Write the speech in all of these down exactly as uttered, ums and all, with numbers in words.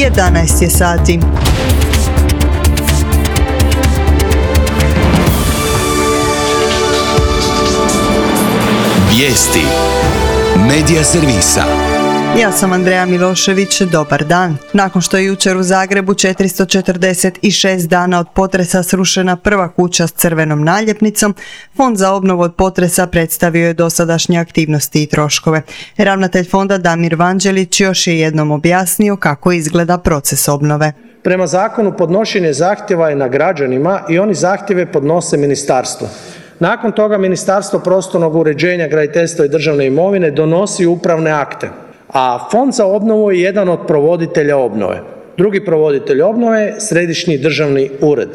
jedanaest je sati. Vijesti Medija servisa. Ja sam Andreja Milošević, dobar dan. Nakon što je jučer u Zagrebu četiristo četrdeset šest dana od potresa srušena prva kuća s crvenom naljepnicom, Fond za obnovu od potresa predstavio je dosadašnje aktivnosti i troškove. Ravnatelj fonda Damir Vanđelić još je jednom objasnio kako izgleda proces obnove. Prema zakonu podnošenje zahtjeva je na građanima i oni zahtjeve podnose ministarstvu. Nakon toga Ministarstvo prostornog uređenja, graditeljstva i državne imovine donosi upravne akte, a Fond za obnovu je jedan od provoditelja obnove. Drugi provoditelj obnove je Središnji državni ured.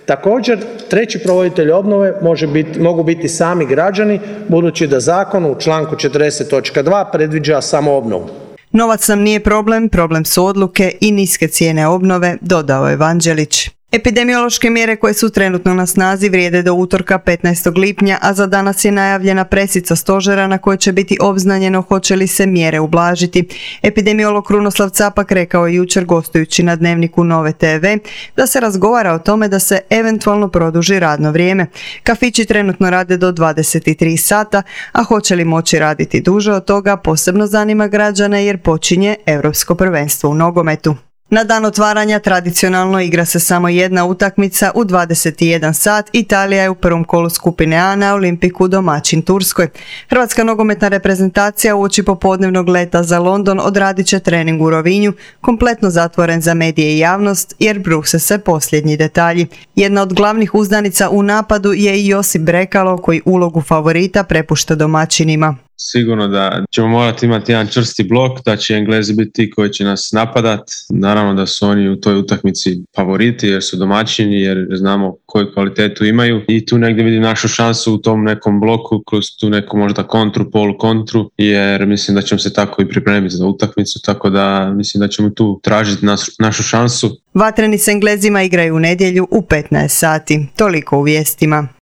Također, treći provoditelj obnove može biti, mogu biti sami građani, budući da zakon u članku četrdeset točka dva predviđa samo obnovu. Novac nam nije problem, problem su odluke i niske cijene obnove, dodao je Vanđelić. Epidemiološke mjere koje su trenutno na snazi vrijede do utorka petnaestog lipnja, a za danas je najavljena presica stožera na kojoj će biti obznanjeno hoće li se mjere ublažiti. Epidemiolog Krunoslav Capak rekao je jučer gostujući na Dnevniku Nove te ve da se razgovara o tome da se eventualno produži radno vrijeme. Kafići trenutno rade do dvadeset tri sata, a hoće li moći raditi duže od toga posebno zanima građane jer počinje Europsko prvenstvo u nogometu. Na dan otvaranja tradicionalno igra se samo jedna utakmica u dvadeset jedan sat. Italija je u prvom kolu skupine A na Olimpiku domaćin Turskoj. Hrvatska nogometna reprezentacija uoči popodnevnog leta za London odradit će trening u Rovinju, kompletno zatvoren za medije i javnost jer bruse se posljednji detalji. Jedna od glavnih uzdanica u napadu je i Josip Brekalo koji ulogu favorita prepušta domaćinima. Sigurno da ćemo morati imati jedan čvrsti blok, da će Englezi biti ti koji će nas napadat. Naravno da su oni u toj utakmici favoriti jer su domaćini, jer znamo koju kvalitetu imaju i tu negdje vidim našu šansu u tom nekom bloku, kroz tu neku možda kontru, polu kontru, jer mislim da ćemo se tako i pripremiti za utakmicu, tako da mislim da ćemo tu tražiti nas, našu šansu. Vatreni s Englezima igraju u nedjelju u petnaest sati. Toliko u vijestima.